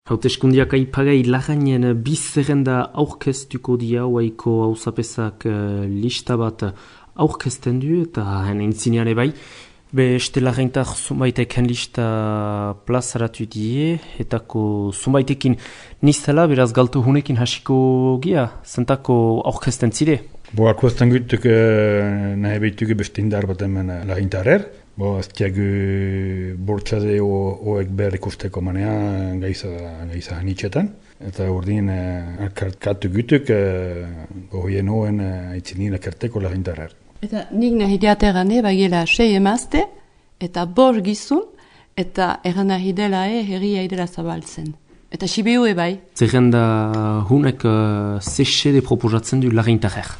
Hauteskundiak aipagai lagainen bizerrenda aurkeztuko dia Oaiko auzapesak lista bat aurkezten du eta henen intzinean bai. Beste lagaintak zunbaiteken lista plazaratu die, etako zunbaitekin niztela, beraz galtu hunekin hasiko gia, zentako aurkezten zire. Aurkezten gutuk nahi behitugu beste indar bat hemen lagintarer. Aztiagu bortxade hoek behar ikusteko manea gaiza hanitxetan. Eta urdin alkartkatu gutuk gohien hoen aitzinin akarteko lagintarer. Eta nik nahi diaterane bagela 6 emazte eta 5 gizun eta erran nahi dela herria idela zabaltzen. Eta sibiu bai. Zerrenda hunek zesede proposatzen du lagintarer.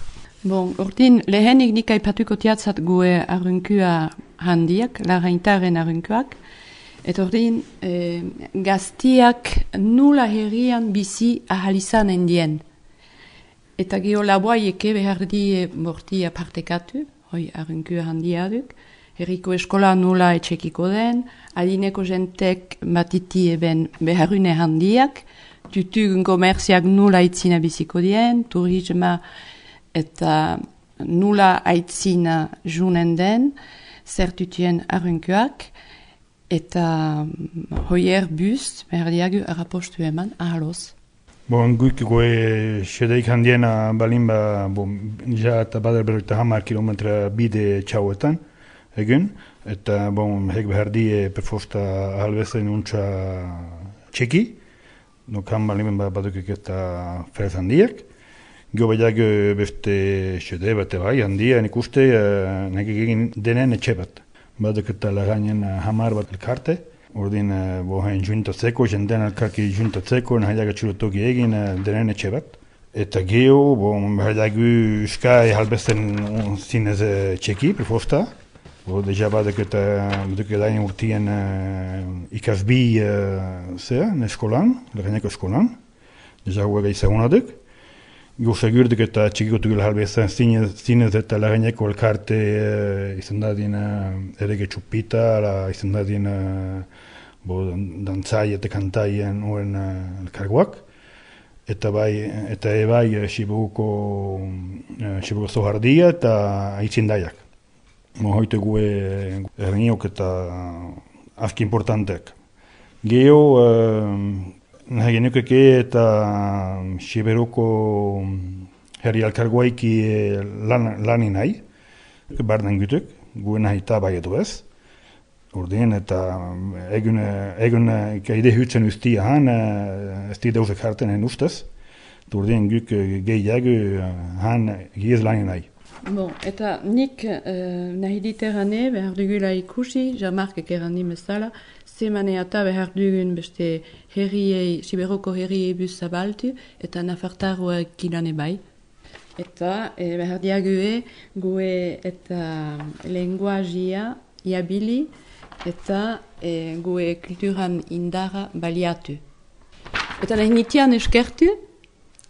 Bon, urdin lehenik nik aipatuko tiatzat gue arrunkua handiak, lagaintaren arrunkuak. Eta urdin gaztiak nula herrian bizi ahalizan endien. Eta geho laboaieke behar di bortia partekatu, hoi arrunkua handia duk. Herriko eskola nula etxekiko den, alineko jentek batiti eben beharune handiak, tutugun komerziak nula itzina biziko dien, turisma eta nula aitzina junen den, zertutien arrunkuak, eta hoier bus behar diagu arapostu eman ahaloz. Guik goe sedeik handiena balin ja eta badar berroita 10 kilometra bide txauetan egun, eta hek behar die perfosta ahalbezen untsa txeki, han balin badukik eta frez handiak. Gio baiak beste sede bat bai handia, nik uste nahi egin denen etxe bat. Baduk eta lagainen 10 bat elkarte. Ordin bohen juntatzeko, jenden alkarki juntatzeko, nahiaga txulotoki egin denen etxe bat. Eta geho, nahiagu uskai halbezen zinez txeki, prefosta. Deja baduk eta dain urtien ikasbi eskolan, lagaineko eskolan. Deja huega izagunaduk. Gio segurdik eta txikikotu gila halbezen zinez eta lagaineko elkarte izan dadin erege txupita, izan dadin dantzai eta kantaien oen elkargoak. Eta ebai sibuko zohardia eta aitzindaiak. Hoite gue erniok eta aski importanteak. Geho nahi genukeke eta siberoko herri alkargoaiki lanin nahi. Barden gutuk, gue nahi eta bai edo ez. Urdien eta egun ide hutzen ustia han, ez di dauzek hartenen ustez. Urdien guk gehiago han giez lanin nahi. Eta nik nahi diterane behar dugula ikusi, jamarkek errandi bezala, zemane eta behar dugun beste herriei, siberoko herriei bus zabaltu, eta nafartaroak gilane bai. Eta behar diague gue eta lenguazia iabili, eta gue kulturan indara baliatu. Eta nahi nitian eskertu,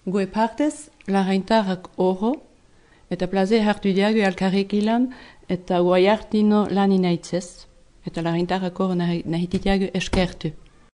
gue partez lagaintarrak oro, eta plaze hartu diago alkarrik ilan, eta guai hartino lanin aitzez. Eta lagaintarrak oro nahi ditiago eskertu.